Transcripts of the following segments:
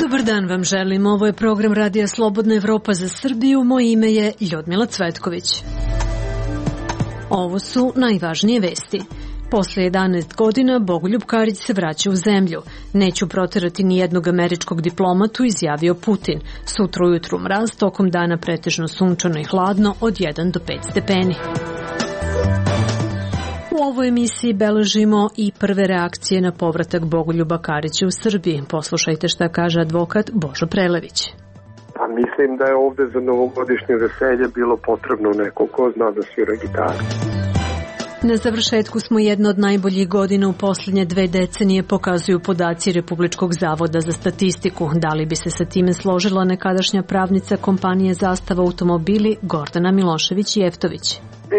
Dobar dan vam želim. Ovo je program Radija Slobodna Evropa za Srbiju. Moje ime je Ljudmila Cvetković. Ovo su najvažnije vesti. Posle 11 godina Bogoljub Karić se vraća u zemlju. Neću proterati ni jednog američkog diplomatu, izjavio Putin. Sutra ujutru mraz, tokom dana pretežno sunčano i hladno od 1 do 5 stepeni. U ovoj emisiji beležimo i prve reakcije na povratak Bogoljuba Karića u Srbiji. Poslušajte šta kaže advokat Božo Prelević. Pa mislim da je ovde za novogodišnje veselje bilo potrebno neko ko zna da svira gitaru. Na završetku smo jedna od najboljih godina u posljednje 2 decenije, pokazuju podaci Republičkog zavoda za statistiku. Da li bi se sa time složila nekadašnja pravnica kompanije Zastava automobili Gordana Milošević-Jeftović?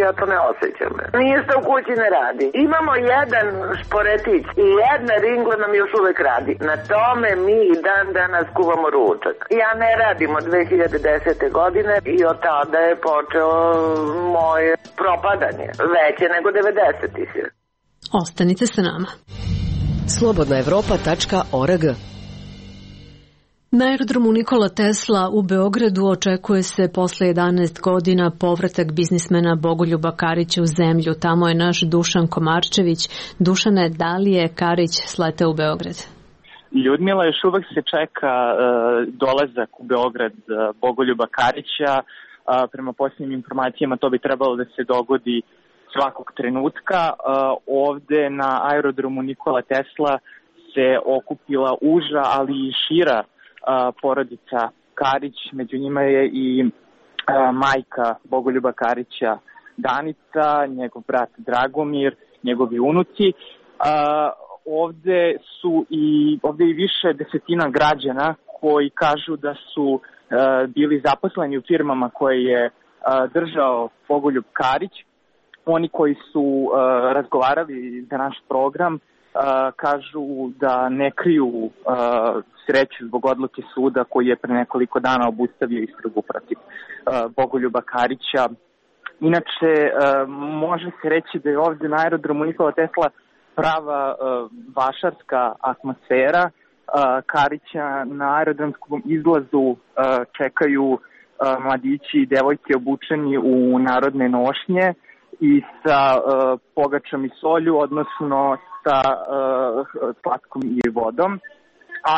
Ja to ne osjećam. Ništa u kući ne radi. Imamo jedan šporetić i jedna ringla nam još uvek radi. Na tome mi dan danas kuvamo ručak. Ja ne radim od 2010. godine i od tada je počeo moje propadanje. Veće nego 90-ih. Ostanite sa nama. slobodnaevropa.org. Na aerodromu Nikola Tesla u Beogradu očekuje se posle 11 godina povratak biznismena Bogoljuba Karića u zemlju. Tamo je naš Dušan Komarčević. Dušane, da li je Karić sleteo u Beograd? Ljudmila, još uvek se čeka dolazak u Beograd Bogoljuba Karića. Prema posljednjim informacijama to bi trebalo da se dogodi svakog trenutka. Ovde na aerodromu Nikola Tesla se okupila uža, ali i šira porodica Karić, među njima je i majka Bogoljuba Karića Danica, njegov brat Dragomir, njegovi unuci. Ovde je i više desetina građana koji kažu da su bili zaposleni u firmama koje je držao Bogoljub Karić. Oni koji su razgovarali za naš program kažu da ne kriju sreću zbog odluke suda koji je pre nekoliko dana obustavio istragu protiv Bogoljuba Karića. Inače, može se reći da je ovde na aerodromu Nikola Tesla prava vašarska atmosfera. Karića na aerodromskom izlazu čekaju mladići i devojke obučeni u narodne nošnje i sa pogačom i solju, odnosno sa slatkom i vodom. A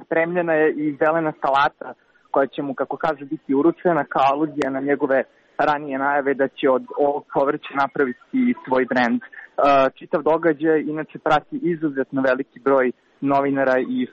spremljena je i zelena salata koja će mu, kako kažu, biti uručena kao aluzija na njegove ranije najave da će od ovog povrća napraviti svoj brend. Čitav događaj inače prati izuzetno veliki broj novinara i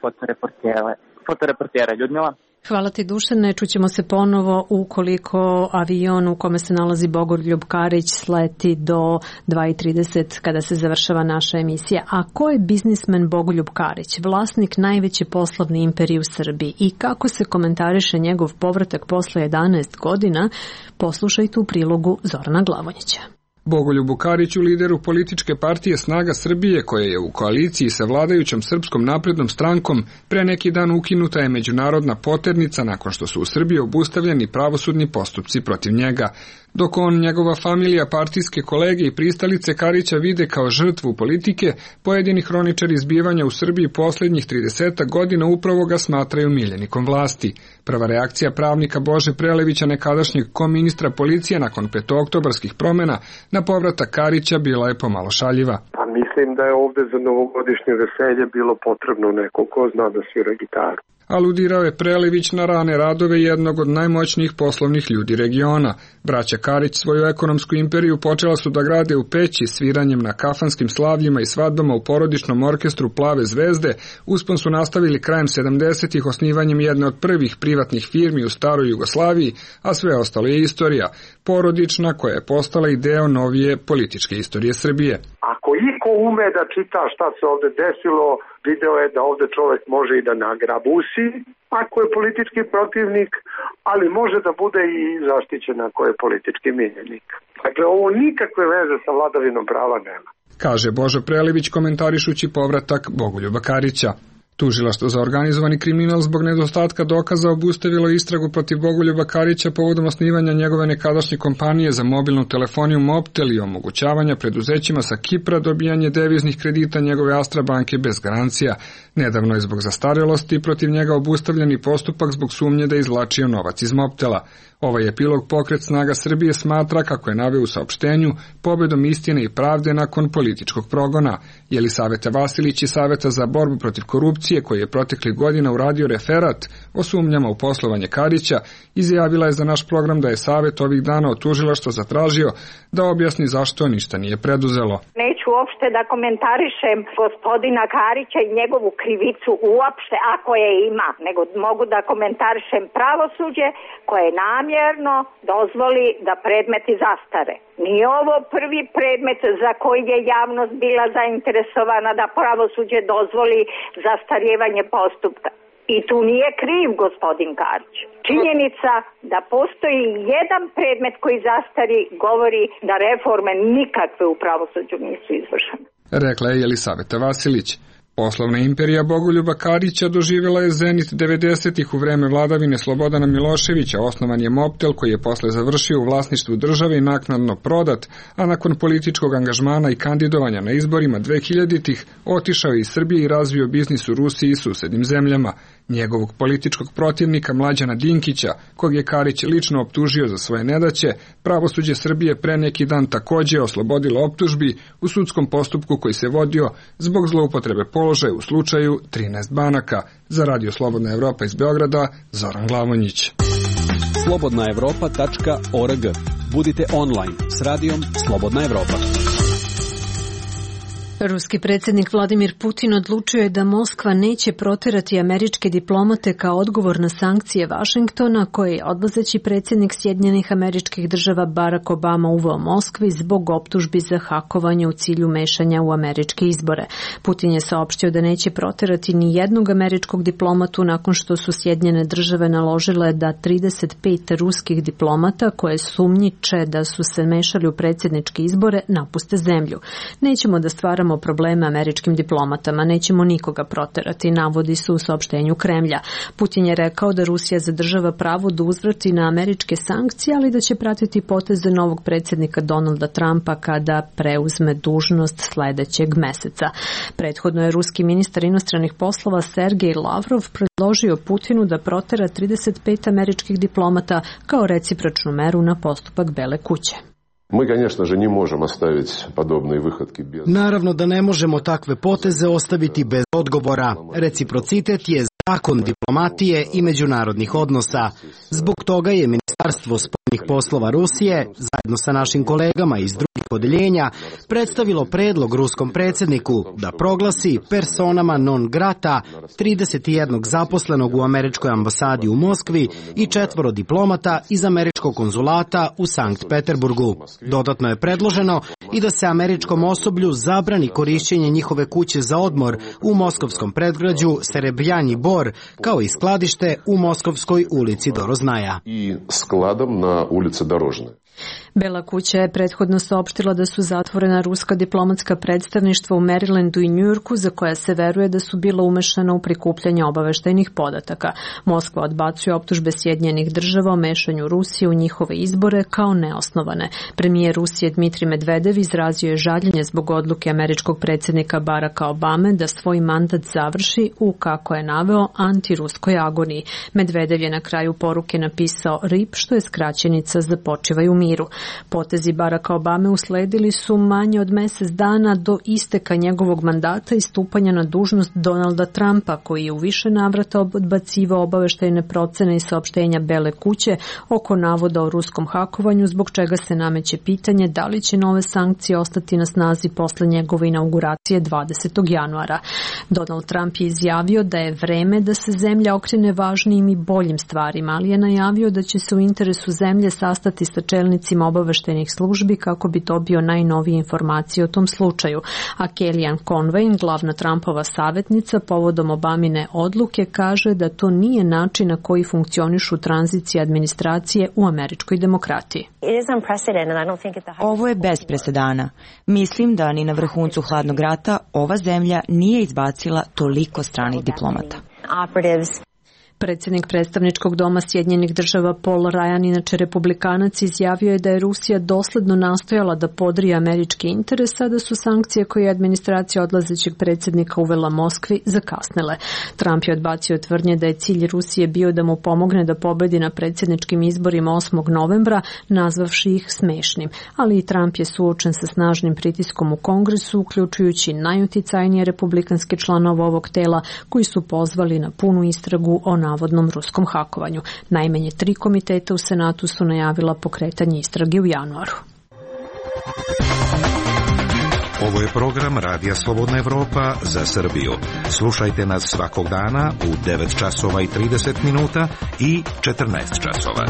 fotoreportera. Ljudmila? Hvala ti, Dušane. Čućemo se ponovo ukoliko avion u kome se nalazi Bogoljub Karić sleti do 2:30 kada se završava naša emisija. A ko je biznismen Bogoljub Karić, vlasnik najveće poslovne imperije u Srbiji, i kako se komentariše njegov povratak posle 11 godina, poslušajte u prilogu Zorana Glavonjića. Bogoljubu Kariću, lideru političke partije Snaga Srbije, koja je u koaliciji sa vladajućom Srpskom naprednom strankom, pre neki dan ukinuta je međunarodna poternica nakon što su u Srbiji obustavljeni pravosudni postupci protiv njega. Dok on, njegova familija, partijske kolege i pristalice Karića vide kao žrtvu politike, pojedini hroničari zbivanja u Srbiji posljednjih 30 godina upravo ga smatraju miljenikom vlasti. Prva reakcija pravnika Bože Prelevića, nekadašnjeg koministra policije nakon petooktobarskih promjena na povratak Karića, bila je pomalo šaljiva. Pa mislim da je ovde za novogodišnje veselje bilo potrebno neko ko zna da svira gitaru. Aludirao je Prelević na rane radove jednog od najmoćnijih poslovnih ljudi regiona. Braća Karić svoju ekonomsku imperiju počela su da grade u Peći sviranjem na kafanskim slavljima i svadbama u porodičnom orkestru Plave zvezde. Uspon su nastavili krajem 70-ih osnivanjem jedne od prvih privatnih firmi u staroj Jugoslaviji, a sve ostalo je istorija, porodična, koja je postala i deo novije političke istorije Srbije. Ako iko ume da čita šta se ovde desilo, video je da ovde čovek može i da nagrabusi ako je politički protivnik, ali može da bude i zaštićen ako je politički miljenik. Dakle, ovo nikakve veze sa vladavinom prava nema, kaže Božo Prelević komentarišući povratak Bogoljuba Karića. Tužilaštvo za organizovani kriminal zbog nedostatka dokaza obustavilo istragu protiv Bogoljuba Karića povodom osnivanja njegove nekadašnje kompanije za mobilnu telefoniju Mobtel i omogućavanja preduzećima sa Kipra dobijanje deviznih kredita njegove Astra banke bez garancija. Nedavno je zbog zastarelosti protiv njega obustavljeni postupak zbog sumnje da je izvlačio novac iz Mobtela. Ovaj epilog Pokret snaga Srbije smatra, kako je naveo u saopštenju, pobedom istine i pravde nakon političkog progona. Jelisaveta Vasilić iz Saveta za borbu protiv korupcije, koji je proteklih godina uradio referat o sumnjama u poslovanje Karića, izjavila je za naš program da je Savet ovih dana od tužilaštva zatražio da objasni zašto ništa nije preduzelo. Neću uopšte da komentarišem gospodina Karića i njegovu krivicu uopšte, ako je ima, nego mogu da komentarišem pravosuđe koje namjerno dozvoli da predmeti zastare. Nije ovo prvi predmet za koji je javnost bila zainteresovana da pravosuđe dozvoli zastarjevanje postupka. I tu nije kriv gospodin Karić. Činjenica da postoji jedan predmet koji zastari govori da reforme nikakve u pravosuđu nisu izvršene. Rekla je Jelisaveta Vasilić. Poslovna imperija Bogoljuba Karića doživjela je zenit 90-ih u vreme vladavine Slobodana Miloševića. Osnovan je Mobtel, koji je posle završio u vlasništvu države i naknadno prodat, a nakon političkog angažmana i kandidovanja na izborima 2000-ih otišao iz Srbije i razvio biznis u Rusiji i susednim zemljama. Njegovog političkog protivnika Mlađana Dinkića, kog je Karić lično optužio za svoje nedaće, pravosuđe Srbije pre neki dan takođe oslobodilo optužbi u sudskom postupku koji se vodio zbog zloupotrebe položaja u slučaju 13 banaka. Za Radio Slobodna Evropa iz Beograda, Zoran Glavonjić. slobodnaevropa.org. Budite online s radijom Slobodna Evropa. Ruski predsjednik Vladimir Putin odlučio je da Moskva neće proterati američke diplomate kao odgovor na sankcije Vašingtona koje je odlazeći predsjednik Sjedinjenih Američkih Država Barack Obama uveo Moskvi zbog optužbi za hakovanje u cilju mešanja u američke izbore. Putin je saopštio da neće proterati ni jednog američkog diplomatu nakon što su Sjedinjene Države naložile da 35 ruskih diplomata koje sumnjiče da su se mešali u predsjedničke izbore napuste zemlju. Nećemo da stvaramo probleme američkim diplomatama, nećemo nikoga proterati, navodi se u saopštenju Kremlja. Putin je rekao da Rusija zadržava pravo da uzvrati na američke sankcije, ali da će pratiti poteze novog predsjednika Donalda Trumpa kada preuzme dužnost sledećeg meseca. Prethodno je ruski ministar inostranih poslova Sergej Lavrov predložio Putinu da protera 35 američkih diplomata kao recipročnu meru na postupak Bele kuće. Naravno da ne možemo takve poteze ostaviti bez odgovora. Reciprocitet je zakon diplomatije i međunarodnih odnosa. Zbog toga je Ministarstvo spoljnih poslova Rusije, zajedno sa našim kolegama iz drugih odeljenja, predstavilo predlog ruskom predsjedniku da proglasi personama non grata 31 zaposlenog u američkoj ambasadi u Moskvi i 4 diplomata iz američkog konzulata u Sankt Peterburgu. Dodatno je predloženo i da se američkom osoblju zabrani korišćenje njihove kuće za odmor u moskovskom predgrađu Serebrjanji Bor, kao i skladište u Moskovskoj ulici Doroznaja. I skladom na ulici Dorožne. Bela kuća je prethodno saopštila da su zatvorena ruska diplomatska predstavništva u Marylandu i Njujorku za koja se veruje da su bila umešana u prikupljanje obaveštajnih podataka. Moskva odbacuje optužbe Sjedinjenih Država o mešanju Rusije u njihove izbore kao neosnovane. Premijer Rusije Dmitrij Medvedev izrazio je žaljenje zbog odluke američkog predsjednika Baracka Obame da svoj mandat završi u, kako je naveo, antiruskoj agoniji. Medvedev je na kraju poruke napisao RIP, što je skraćenica za počivaj u miru. Potezi Baracka Obame usledili su manje od mesec dana do isteka njegovog mandata i stupanja na dužnost Donalda Trumpa, koji je u više navrata odbacivao obaveštajne procene i saopštenja Bele kuće oko navoda o ruskom hakovanju, zbog čega se nameće pitanje da li će nove sankcije ostati na snazi posle njegove inauguracije 20. januara. Donald Trump je izjavio da je vreme da se zemlja okrene važnijim i boljim stvarima, ali je najavio da će se u interesu zemlje sastati sa čelnicima čelnicima obaveštajnih službi kako bi dobio najnovije informacije o tom slučaju, a Kellyanne Conway, glavna Trumpova savjetnica povodom Obamine odluke, kaže da to nije način na koji funkcionišu tranzicije administracije u američkoj demokratiji. Ovo je bez presedana. Mislim da ni na vrhuncu hladnog rata ova zemlja nije izbacila toliko stranih diplomata. Predsjednik predstavničkog doma Sjedinjenih država Paul Ryan, inače republikanac, izjavio je da je Rusija dosledno nastojala da podrije američki interes, a da su sankcije koje je administracija odlazećeg predsjednika uvela Moskvi zakasnile. Trump je odbacio tvrdnje da je cilj Rusije bio da mu pomogne da pobedi na predsjedničkim izborima 8. novembra, nazvavši ih smešnim. Ali i Trump je suočen sa snažnim pritiskom u Kongresu, uključujući najuticajnije republikanske članove ovog tela, koji su pozvali na punu istragu o navodnom ruskom hakovanju. Najmanje 3 komiteta u Senatu su najavila pokretanje istrage u januaru. Ovo je program Radija Slobodna Evropa za Srbiju. Slušajte nas svakog dana u 9 časova i 30 minuta i 14 časova.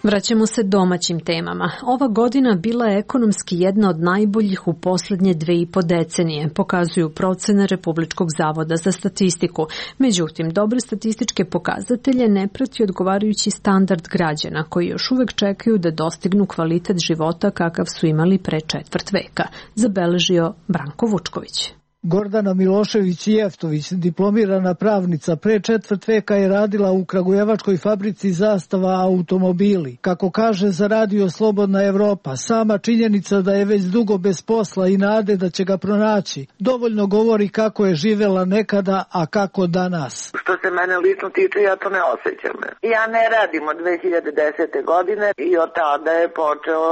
Vraćamo se domaćim temama. Ova godina bila je ekonomski jedna od najboljih u posljednje 2,5 decenije, pokazuju procene Republičkog zavoda za statistiku. Međutim, dobre statističke pokazatelje ne prati odgovarajući standard građana, koji još uvek čekaju da dostignu kvalitet života kakav su imali pre 1/4 veka, zabeležio Branko Vučković. Gordana Milošević-Jeftović, diplomirana pravnica, pre 1/4 veka je radila u kragujevačkoj fabrici Zastava automobili. Kako kaže za Radio Slobodna Evropa, sama činjenica da je već dugo bez posla i nade da će ga pronaći dovoljno govori kako je živela nekada, a kako danas. Što se mene lično tiče, ja to ne osjećam. Ja ne radim od 2010. godine i od tada je počeo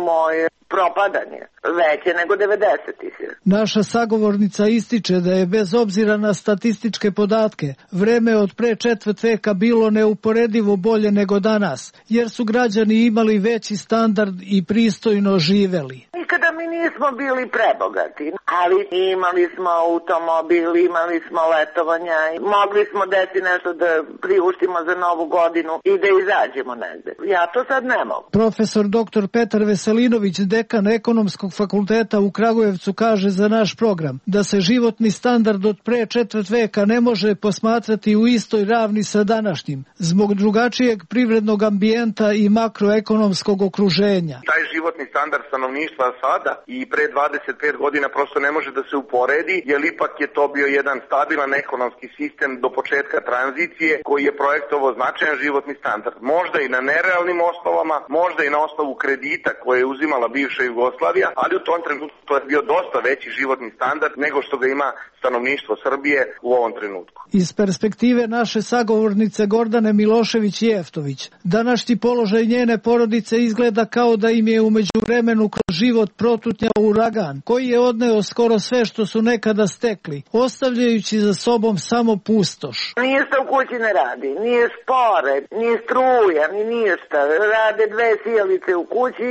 moje propadanje, veće nego 90-ih. Naša sagovornica ističe da je bez obzira na statističke podatke vreme od pre 1/4 veka bilo neuporedivo bolje nego danas, jer su građani imali veći standard i pristojno živeli. Nikada mi nismo bili prebogati, ali imali smo automobil, imali smo letovanja, mogli smo deti nešto da priuštimo za novu godinu i da izađemo negde. Ja to sad ne mogu. Profesor dr. Petar Veselinović, dekan Ekonomskog fakulteta u Kragujevcu, kaže za naš program da se životni standard od pre 1/4 veka ne može posmatrati u istoj ravni sa današnjim, zbog drugačijeg privrednog ambijenta i makroekonomskog okruženja. Taj životni standard stanovništva sada i pre 25 godina prosto ne može da se uporedi, jer ipak je to bio jedan stabilan ekonomski sistem do početka tranzicije koji je projektovao značajan životni standard. Možda i na nerealnim osnovama, možda i na osnovu kredita koje je uzimala bivša Jugoslavija, ali u tom trenutku to je bio dosta veći životni standard nego što ga ima stanovništvo Srbije u ovom trenutku. Iz perspektive naše sagovornice Gordane Milošević-Jeftović, današnji položaj njene porodice izgleda kao da im je u međuvremenu kroz život protutnjao uragan, koji je odneo skoro sve što su nekada stekli, ostavljajući za sobom samo pustoš. Ništa u kući ne radi, nije špore, nije struja, ni ništa. Rade 2 sijalice u kući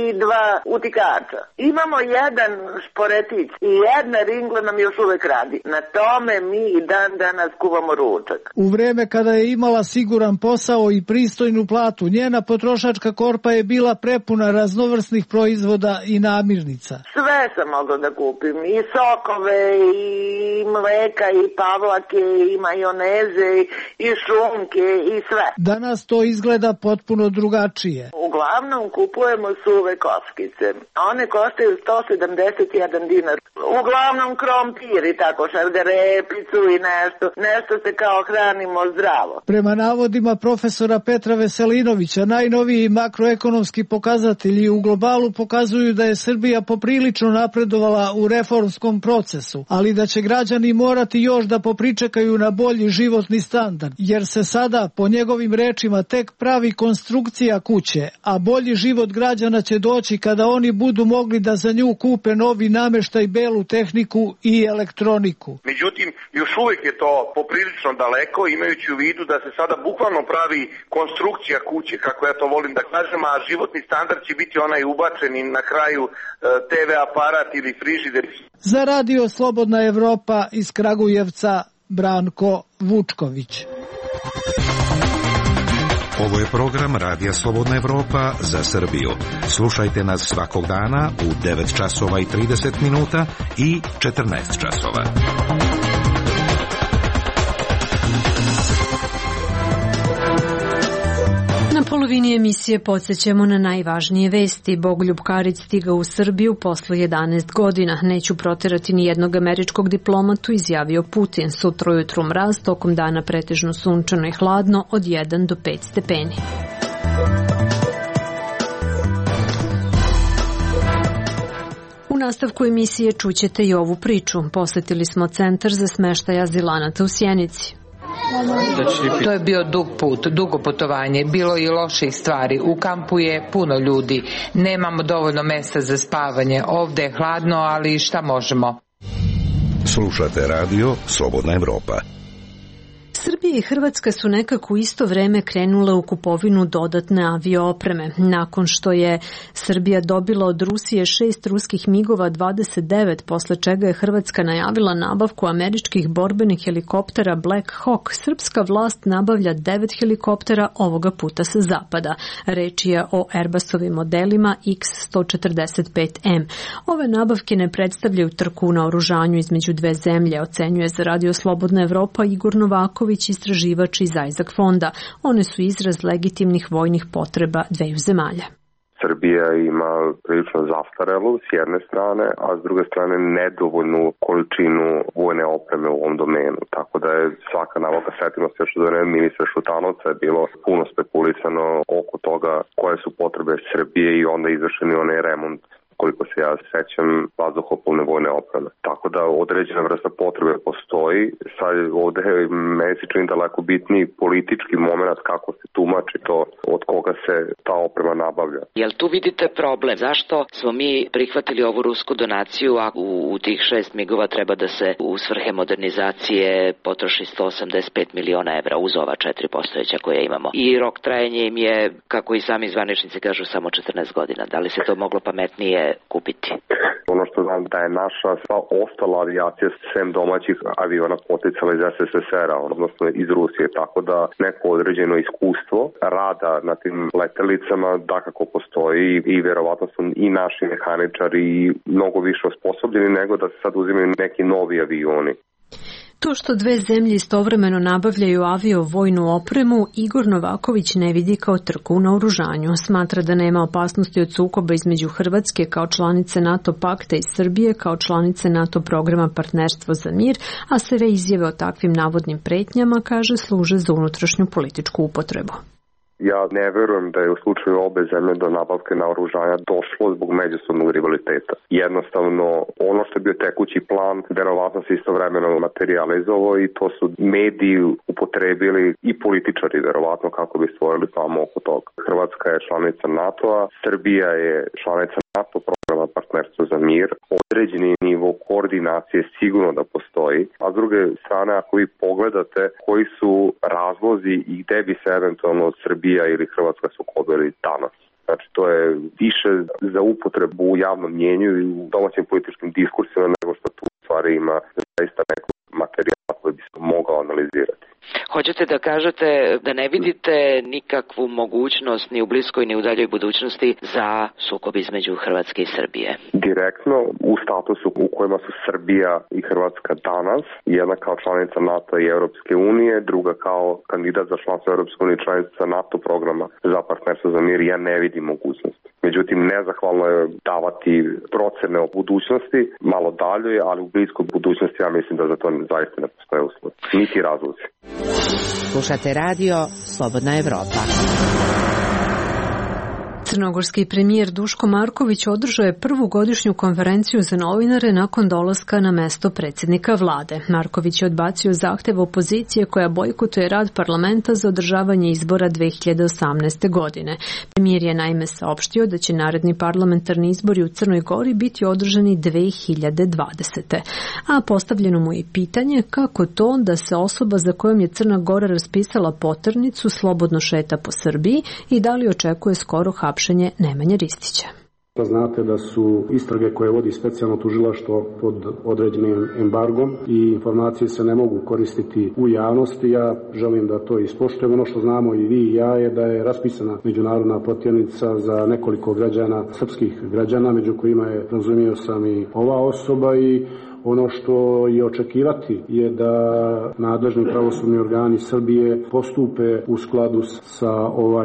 i 2 utikača. Imamo jedan šporetić i jedna ringla nam još uvek radi. Na tome mi i dan danas kuvamo ručak. U vreme kada je imala siguran posao i pristojnu platu, njena potrošačka korpa je bila prepuna raznovrsnih proizvoda i namirnica. Sve sam mogla da kupim, i sokove, i mleka, i pavlake, i majoneze, i šunke, i sve. Danas to izgleda potpuno drugačije. Uglavnom kupujemo suve kockice. One koštaju 171 dinar. Uglavnom krompir i tako šargarepicu i nešto se kao hranimo zdravo. Prema navodima profesora Petra Veselinovića, najnoviji makroekonomski pokazatelji u globalu pokazuju da je Srbija poprilično napredovala u reformskom procesu, ali da će građani morati još da popričekaju na bolji životni standard, jer se sada, po njegovim rečima, tek pravi konstrukcija kuće, a bolji život građana će doći kada oni budu mogli da za nju kupe novi nameštaj, belu tehniku i elektroniku. Međutim, još uvijek je to poprilično daleko, imajući u vidu da se sada bukvalno pravi konstrukcija kuće, kako ja to volim da kažem, a životni standard će biti onaj ubačen i na kraju TV aparat ili frižider. Za Radio Slobodna Evropa iz Kragujevca, Branko Vučković. Ovo je program Radija Slobodna Evropa za Srbiju. Slušajte nas svakog dana u 9 časova i 30 minuta i 14 časova. Na polovini emisije podsjećamo na najvažnije vesti. Bogoljub Karić stigao u Srbiju posle 11 godina. Neću proterati ni jednog američkog diplomatu, izjavio Putin. Sutra ujutru mraz, tokom dana pretežno sunčano i hladno od 1 do 5 stepeni. U nastavku emisije čućete i ovu priču. Posetili smo centar za smeštaj azilanata u Sjenici. To je bio dug put, dugo putovanje, bilo i loših stvari. U kampu je puno ljudi, nemamo dovoljno mesta za spavanje, ovde je hladno, ali šta možemo? Slušate radio Slobodna Evropa. Srbija i Hrvatska su nekako u isto vreme krenule u kupovinu dodatne avioopreme. Nakon što je Srbija dobila od Rusije 6 ruskih MiG-ova 29, posle čega je Hrvatska najavila nabavku američkih borbenih helikoptera Black Hawk, srpska vlast nabavlja 9 helikoptera, ovoga puta sa zapada. Reč je o Airbusovim modelima X-145M. Ove nabavke ne predstavljaju trku na oružanju između dve zemlje, ocenjuje za Radio Slobodna Evropa Igor Novaković, istraživač iz Isaac fonda. One su izraz legitimnih vojnih potreba dveju zemalja. Srbija ima prilično zastarelu s jedne strane, a s druge strane nedovoljnu količinu vojne opreme u ovom domenu. Tako da je svaka nabavka, setimo se još od vremena ministra Šutanovca, je bilo puno spekulisano oko toga koje su potrebe Srbije i onda izvršeni onaj remont, koliko se ja sećam, vazduhoplovne vojne opreme. Tako da određena vrsta potrebe postoji. Sad ovde meni se čini daleko bitniji politički moment kako se tumači to od koga se ta oprema nabavlja. Jel tu vidite problem? Zašto smo mi prihvatili ovu rusku donaciju, a u tih 6 MiG-ova treba da se u svrhe modernizacije potroši 185 miliona evra uz ova 4 postojeća koje imamo? I rok trajanja im je, kako i sami zvaničnici kažu, samo 14 godina. Da li se to moglo pametnije kupiti? Ono što znam da je naša sva ostala avijacija sem domaćih aviona poticala iz SSSR-a, odnosno iz Rusije, tako da neko određeno iskustvo rada na tim letelicama dakako postoji i verovatno su i naši mehaničari mnogo više osposobljeni nego da se sad uzimaju neki novi avioni. To što dve zemlje istovremeno nabavljaju avio-vojnu opremu, Igor Novaković ne vidi kao trku u naoružanju. Smatra da nema opasnosti od sukoba između Hrvatske kao članice NATO pakta i Srbije kao članice NATO programa Partnerstvo za mir, a sve izjave o takvim navodnim pretnjama, kaže, služe za unutrašnju političku upotrebu. Ja ne verujem da je u slučaju obe zemlje do nabavke naoružanja došlo zbog međusobnog rivaliteta. Jednostavno, ono što je bio tekući plan, verovatno se istovremeno materializovao i to su mediji upotrebili i političari verovatno kako bi stvorili famu oko toga. Hrvatska je članica NATO-a, Srbija je članica NATO programa Partnerstvo za mir. Određeni nivo koordinacije sigurno da postoji, a s druge strane ako vi pogledate koji su razlozi i gde bi se eventualno od Srbija ili Hrvatska sukobili danas. Znači to je više za upotrebu u javnom mnjenju i u domaćim političkim diskursima nego što tu stvari ima zaista neko materijal koji bi se mogao analizirati. Hoćete da kažete da ne vidite nikakvu mogućnost ni u bliskoj ni u daljoj budućnosti za sukob između Hrvatske i Srbije? Direktno u statusu u kojima su Srbija i Hrvatska danas, jedna kao članica NATO i Europske unije, druga kao kandidat za članstvo Europske unije i članica NATO programa za Partnerstvo za mir, ja ne vidim mogućnost. Međutim, nezahvalno je davati procene o budućnosti, malo dalje, ali u bliskoj budućnosti ja mislim da za to zaista ne postoje uslov. Niti razlozi. Slušate radio Slobodna Evropa. Crnogorski premijer Duško Marković održao je prvu godišnju konferenciju za novinare nakon dolaska na mesto predsjednika vlade. Marković je odbacio zahtev opozicije koja bojkotuje rad parlamenta za održavanje izbora 2018. godine. Premijer je naime saopštio da će naredni parlamentarni izbori u Crnoj Gori biti održani 2020. A postavljeno mu je pitanje kako to da se osoba za kojom je Crna Gora raspisala poternicu slobodno šeta po Srbiji i da li očekuje skoro hapšenje Nemanje Ristića. Znate da su istrage koje vodi specijalno tužilaštvo pod određenim embargom i informacije se ne mogu koristiti u javnosti. Ja želim da to ispoštujemo. Ono što znamo i vi i ja je da je raspisana međunarodna potjernica za nekoliko građana, srpskih građana, među kojima je, razumio sam, i ova osoba, i ono što je očekivati je da nadležni pravosudni organi Srbije postupe u skladu sa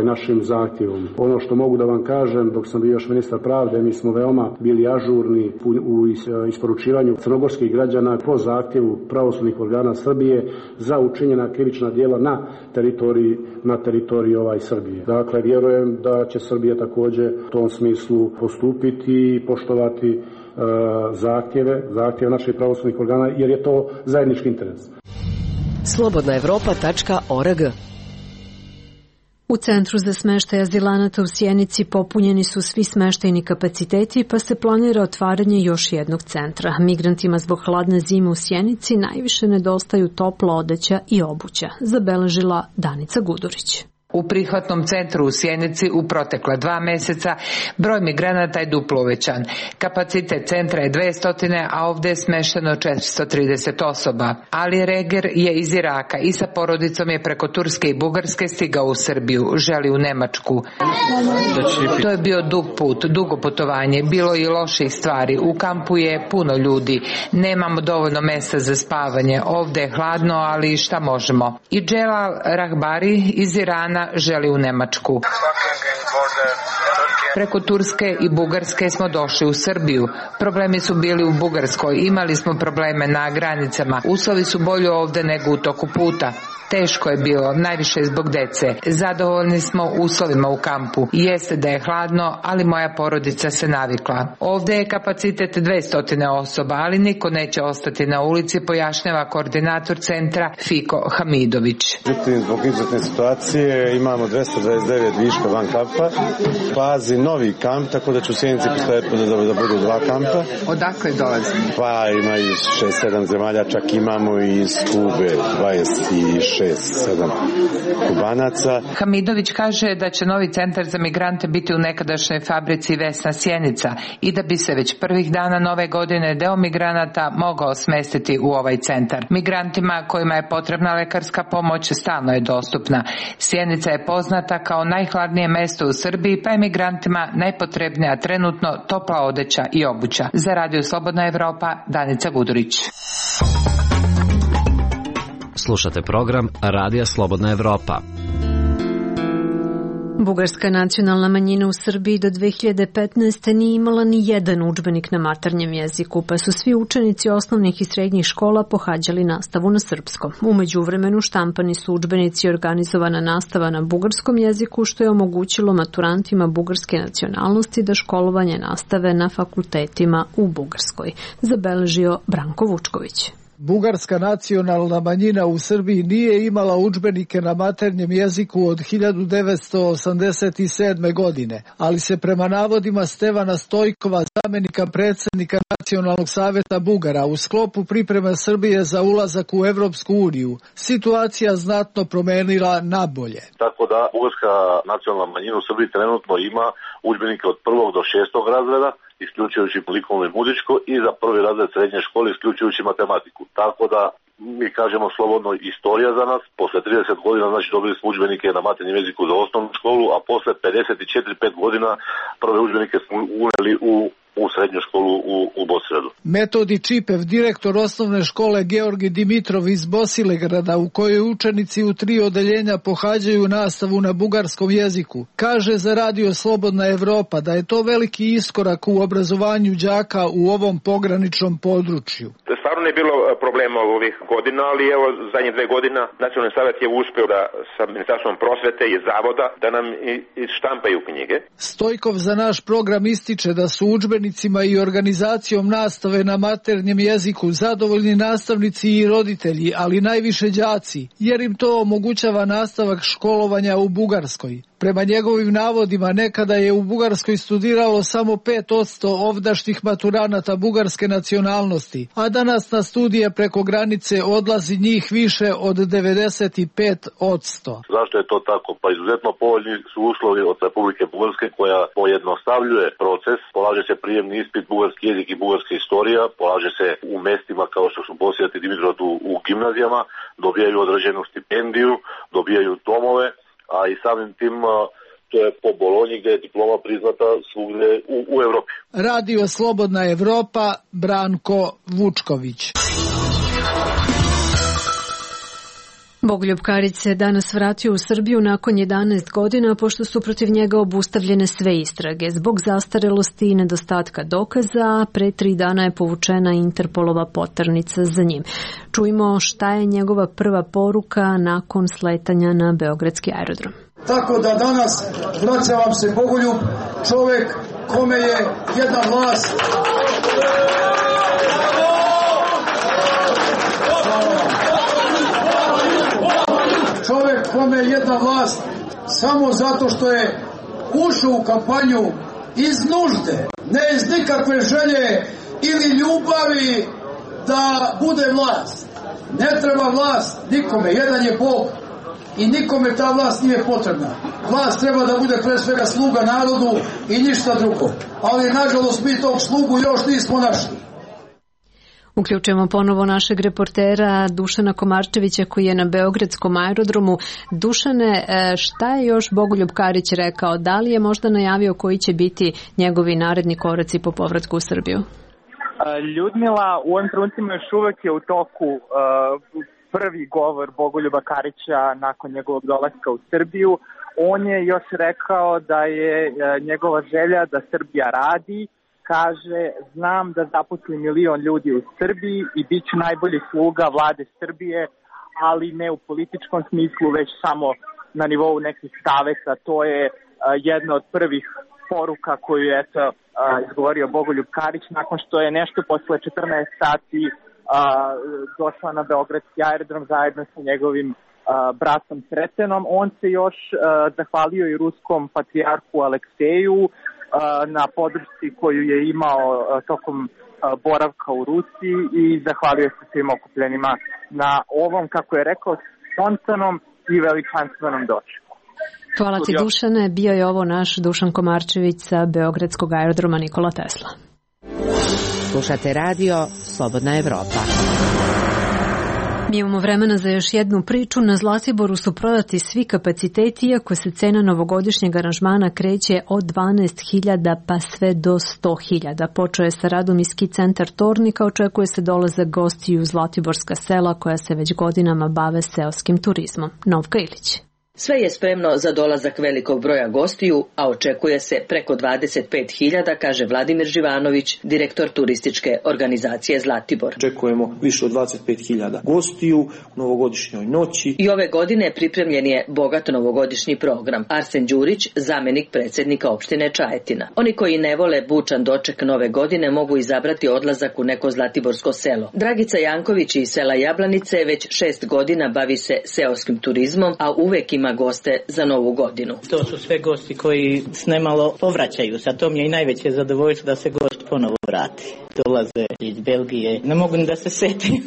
našim zahtjevom. Ono što mogu da vam kažem, dok sam bio još ministar pravde, mi smo veoma bili ažurni u isporučivanju crnogorskih građana po zahtjevu pravosudnih organa Srbije za učinjena krivična djela na teritoriji Srbije. Dakle, vjerujem da će Srbija također u tom smislu postupiti i poštovati zahtjeve naših pravosudnih organa, jer je to zajednički interes. Slobodnaevropa.org. U Centru za smeštaj azilanata u Sjenici popunjeni su svi smeštajni kapaciteti, pa se planira otvaranje još jednog centra. Migrantima zbog hladne zime u Sjenici najviše nedostaju topla odeća i obuća, zabeležila Danica Gudurić. U prihvatnom centru u Sjenici u protekla 2 meseca broj migranata je duplo uvećan. Kapacitet centra je 200, a ovdje je smešteno 430 osoba. Ali Reger je iz Iraka i sa porodicom je preko Turske i Bugarske stigao u Srbiju, želi u Nemačku. To je bio dug put, dugo putovanje, bilo i loših stvari. U kampu je puno ljudi, nemamo dovoljno mjesta za spavanje, ovdje je hladno, ali šta možemo. I Dželal Rahbari iz Irana želi u Nemačku. Preko Turske i Bugarske smo došli u Srbiju. Problemi su bili u Bugarskoj, imali smo probleme na granicama. Uslovi su bolji ovdje nego u toku puta. Teško je bilo, najviše zbog dece. Zadovoljni smo uslovima u kampu. Jeste da je hladno, ali moja porodica se navikla. Ovdje je kapacitet 200 osoba, ali niko neće ostati na ulici, pojašnjava koordinator centra Fiko Hamidović. Zbog izuzetne situacije imamo 229 viška van kampa. Fazi novi kamp, tako da će u Sjenici postojati da budu 2 kampa. Odakle dolazi? Pa ima iz 6-7 zemalja, čak imamo i iz Kube 26. 6-7 Kubanaca. Hamidović kaže da će novi centar za migrante biti u nekadašnjoj fabrici Vesna Sjenica i da bi se već prvih dana nove godine deo migranata mogao smestiti u ovaj centar. Migrantima kojima je potrebna lekarska pomoć stalno je dostupna. Sjenica je poznata kao najhladnije mesto u Srbiji, pa je migrantima najpotrebnija trenutno topla odeća i obuća. Za Radio Slobodna Evropa, Danica Gudurić. Slušate program Radija Slobodna Evropa. Bugarska nacionalna manjina u Srbiji do 2015. nije imala ni jedan udžbenik na maternjem jeziku, pa su svi učenici osnovnih i srednjih škola pohađali nastavu na srpskom. U međuvremenu štampani su udžbenici i organizovana nastava na bugarskom jeziku, što je omogućilo maturantima bugarske nacionalnosti da školovanje nastave na fakultetima u Bugarskoj, zabeležio Branko Vučković. Bugarska nacionalna manjina u Srbiji nije imala udžbenike na maternjem jeziku od 1987. godine, ali se prema navodima Stevana Stojkova, zamenika predsjednika Nacionalnog saveta Bugara, u sklopu pripreme Srbije za ulazak u Evropsku uniju, situacija znatno promenila na bolje. Tako da bugarska nacionalna manjina u Srbiji trenutno ima udžbenike od 1. do 6. razreda, isključujući likovno i muzičko, i za 1. razred srednje škole isključujući matematiku. Tako da mi kažemo slobodno istorija za nas. Posle 30 godina znači dobili smo udžbenike na maternjem jeziku za osnovnu školu, a posle 54-5 godina prve udžbenike smo uneli u srednju školu u Bosilegradu. Metodi Čipev, direktor osnovne škole Georgi Dimitrov iz Bosilegrada, u kojoj učenici u 3 odeljenja pohađaju nastavu na bugarskom jeziku, kaže za Radio Slobodna Evropa da je to veliki iskorak u obrazovanju đaka u ovom pograničnom području. Stvarno je bilo problema ovih godina, ali evo zadnje 2 godine Nacionalni savjet je uspeo da sa Ministarstvom prosvete i zavoda da nam štampaju knjige. Stojkov za naš program ističe da su udžbenicima i organizacijom nastave na maternjem jeziku zadovoljni nastavnici i roditelji, ali najviše đaci, jer im to omogućava nastavak školovanja u Bugarskoj. Prema njegovim navodima, nekada je u Bugarskoj studiralo samo 5% ovdašnjih maturanata bugarske nacionalnosti, a danas na studije preko granice odlazi njih više od 95%. Zašto je to tako? Pa izuzetno povoljni su uslovi od Republike Bugarske koja pojednostavljuje proces. Polaže se prijemni ispit bugarski jezik i bugarska istorija, polaže se u mestima kao što su Bosijat i Dimitrov u gimnazijama, dobijaju određenu stipendiju, dobijaju domove, a i samim tim to je po Bolonji gdje je diploma priznata svugdje u Evropi. Radio Slobodna Evropa, Branko Vučković. Bogoljub Karić se danas vratio u Srbiju nakon 11 godina, pošto su protiv njega obustavljene sve istrage. Zbog zastarelosti i nedostatka dokaza, pre 3 dana je povučena Interpolova poternica za njim. Čujmo šta je njegova prva poruka nakon sletanja na beogradski aerodrom. Tako da danas vraća vam se Bogoljub, čovek kome je jedna vlast samo zato što je ušao u kampanju iz nužde, ne iz nikakve želje ili ljubavi da bude vlast. Ne treba vlast nikome, jedan je Bog i nikome ta vlast nije potrebna. Vlast treba da bude pre svega sluga narodu i ništa drugo. Ali nažalost mi tog slugu još nismo našli. Uključujemo ponovo našeg reportera Dušana Komarčevića koji je na beogradskom aerodromu. Dušane, šta je još Bogoljub Karić rekao? Da li je možda najavio koji će biti njegovi naredni koraci po povratku u Srbiju? Ljudmila, u ovim trenucima još uvek je u toku prvi govor Bogoljuba Karića nakon njegovog dolaska u Srbiju. On je još rekao da je njegova želja da Srbija radi. Kaže, znam da zaposli 1 milion ljudi u Srbiji i bit ću najbolji sluga vlade Srbije, ali ne u političkom smislu, već samo na nivou nekih saveta. To je jedna od prvih poruka koju je izgovorio Bogoljub Karić nakon što je nešto posle 14 sati došla na beogradski aerodrom zajedno sa njegovim bratom Sretenom. On se još zahvalio i ruskom patrijarhu Alekseju na podršci koju je imao tokom boravka u Rusiji i zahvalio se svim okupljenima na ovom, kako je rekao, spontanom i veličanstvenom dočeku. Hvala ti, Dušane. Bio je ovo naš Dušan Komarčević sa beogradskog aerodroma Nikola Tesla. Slušate radio Slobodna Evropa. Mi imamo vremena za još jednu priču. Na Zlatiboru su prodati svi kapaciteti, iako se cena novogodišnjeg aranžmana kreće od 12.000 pa sve do 100.000. Počeo je sa radom i ski centar Tornika, očekuje se dolazak gostiju u Zlatiborska sela koja se već godinama bave seoskim turizmom. Novka Ilić. Sve je spremno za dolazak velikog broja gostiju, a očekuje se preko 25.000, kaže Vladimir Živanović, direktor turističke organizacije Zlatibor. Očekujemo više od 25.000 gostiju u novogodišnjoj noći. I ove godine pripremljen je bogat novogodišnji program. Arsen Đurić, zamenik predsjednika opštine Čajetina. Oni koji ne vole bučan doček nove godine mogu izabrati odlazak u neko zlatiborsko selo. Dragica Janković iz sela Jablanice već 6 godina bavi se seoskim turizmom, a uvek ima goste za novu godinu. To su sve gosti koji s nemalo povraćaju. Sa tom je i najveće zadovoljstvo da se gost ponovo vrati. Dolaze iz Belgije. Ne mogu ni da se setim.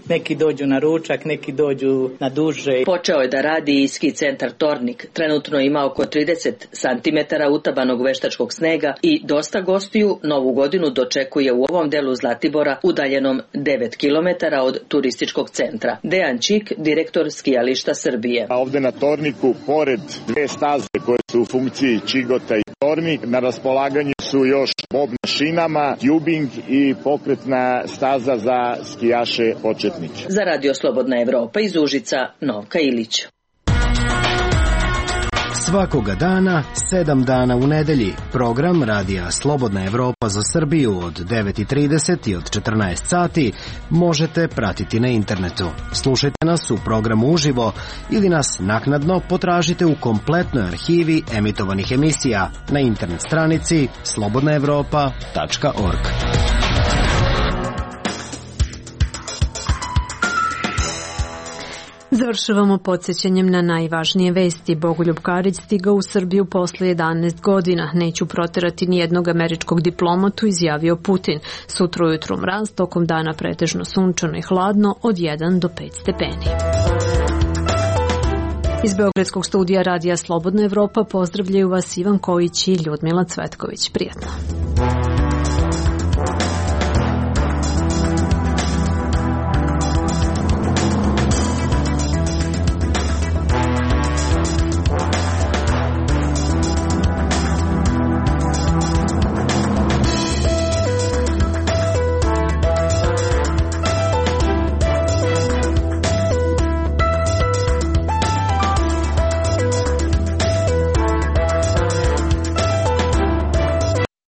Neki dođu na ručak, neki dođu na duže. Počeo je da radi i ski centar Tornik. Trenutno ima oko 30 cm utabanog veštačkog snega i dosta gostiju novu godinu dočekuje u ovom delu Zlatibora udaljenom 9 km od turističkog centra. Dejan Čik, direktor skijališta Srbije. A ovde na Torniku, pored 2 staze koje su u funkciji Čigota i Tornik, na raspolaganju su još bob na šinama, tubing i pokretna staza za skijaše početnike. Za Radio Slobodna Evropa iz Užica, Novka Ilić. Svakoga dana, 7 dana u nedelji, program Radija Slobodna Evropa za Srbiju od 9:30 i od 14 sati možete pratiti na internetu. Slušajte nas u programu uživo ili nas naknadno potražite u kompletnoj arhivi emitovanih emisija na internet stranici slobodnaevropa.org. Završavamo podsjećanjem na najvažnije vesti. Bogoljub Karić stigao u Srbiju posle 11 godina. Neću proterati ni jednog američkog diplomatu, izjavio Putin. Sutra ujutru mraz, tokom dana pretežno sunčano i hladno od 1 do 5 stepeni. Iz Beogradskog studija Radija Slobodna Evropa pozdravljaju vas Ivan Kojić i Ljudmila Cvetković. Prijatno.